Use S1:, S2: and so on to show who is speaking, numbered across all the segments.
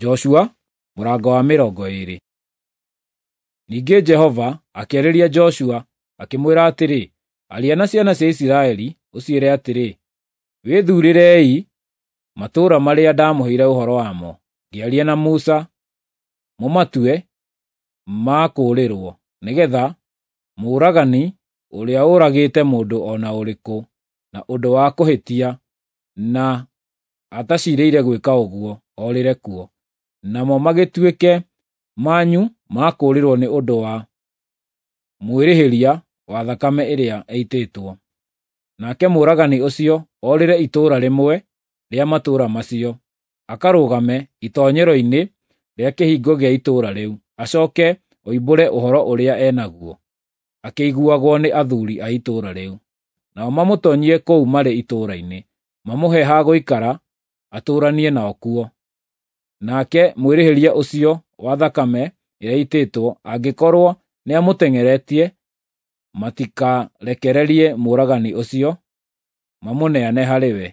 S1: Joshua mũrango wa 20. Ningĩ Jehova akĩarĩria Joshua akĩmwĩra atĩrĩ, Aria na ciana cia Isiraeli ũciĩre atĩrĩ, Wĩthuurĩrei matũũra marĩa ndamũheire ũhoro wamo, ngĩaria na Musa, mũmatue ma kũũrĩrwo, nĩgeetha mũũragani ũrĩa ũragĩte mũndũ o na ũrĩkũ na ũndũ wa kũhĩtia na ataciirĩire gwĩka ũguo, orĩre kuo. Namo magĩtuĩke manyu ma kũũrĩrwo nĩ ũndũ wa mwĩrĩhĩria wa thakame ĩrĩa ĩitĩtwo. Nake mũũragani ũcio orĩre itũũra rĩmwe rĩa matũũra macio, akarũgame itoonyero-inĩ rĩa kĩhingo gĩa itũũra rĩu, acooke oimbũre ũhoro ũrĩa e naguo, akĩiguagwo nĩ athuuri a itũũra rĩu. Nao mamũtoonyie kũu marĩ itũũra-inĩ, mamũhe ha gũikara atũũranie nao kuo. Nake mwĩrĩhĩria ũcio wa thakame ĩrĩa ĩitĩtwo angĩkorwo nĩamũteng'eretie, matikarekererie mũũragani ũcio mamũneane harĩ we,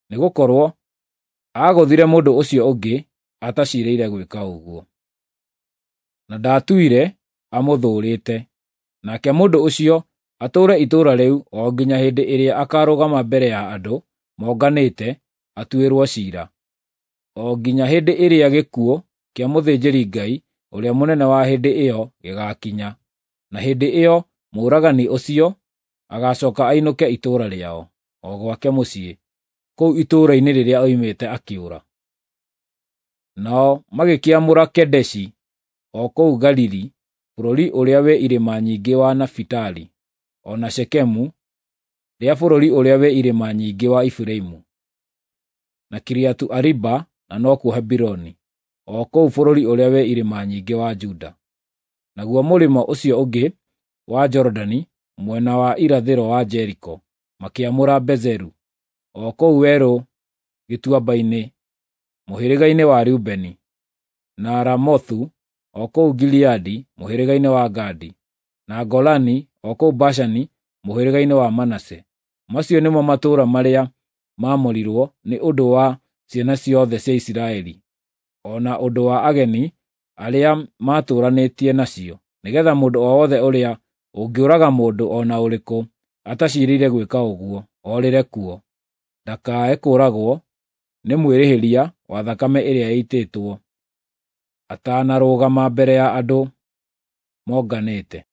S1: nĩgũkorwo aagũthire mũndũ ũcio ũngĩ ataciirĩire gwĩka ũguo, na ndaatũire amũthũũrĩte. Nake mũndũ ũcio atũũre itũũra rĩu o nginya hĩndĩ ĩrĩa akaarũgama mbere ya andũ monganĩte atuĩrwo ciira, o nginya hĩndĩ ĩrĩa gĩkuũ kĩa mũthĩnjĩri-Ngai ũrĩa mũnene wa hĩndĩ ĩyo gĩgaakinya, na hĩndĩ ĩyo mũũragani ũcio agacooka ainũke itũũra rĩao, o gwake mũciĩ, kũu itũũra-inĩ rĩrĩa oimĩte akĩũra. Nao magĩkĩamũra Kedeshi o kũu Galili, bũrũri ũrĩa wĩ irĩma nyingĩ wa Nafitali, o na Shekemu rĩa bũrũri ũrĩa wĩ irĩma nyingĩ wa Efiraimu, na Kiriathu-Ariba na nokuo Hebironi, o kũu bũrũri ũrĩa wĩ irĩma nyingĩ wa Juda. Naguo mũrĩmo ũcio ũngĩ wa Jorodani, mwena wa irathĩro wa Jeriko, makĩamũra Bezeru, o kũu werũ gĩtuamba-inĩ, mũhĩrĩga-inĩ wa Rubeni, na Ramothu o kũu Gileadi, mũhĩrĩga-inĩ wa Gadi, na Golani o kũu Bashani, mũhĩrĩga-inĩ wa Manase. Macio nĩmo matũũra marĩa maamũrirwo nĩ ũndũ wa ciana ciothe cia Isiraeli, o na ũndũ wa ageni arĩa maatũũranĩtie nacio, nĩgeetha mũndũ o wothe ũrĩa ũngĩũraga mũndũ o na ũrĩkũ ataciirĩire gwĩka ũguo, orĩre kuo, ndakae kũũragwo nĩ mwĩrĩhĩria wa thakame ĩrĩa ĩitĩtwo atanarũgama mbere ya andũ monganĩte.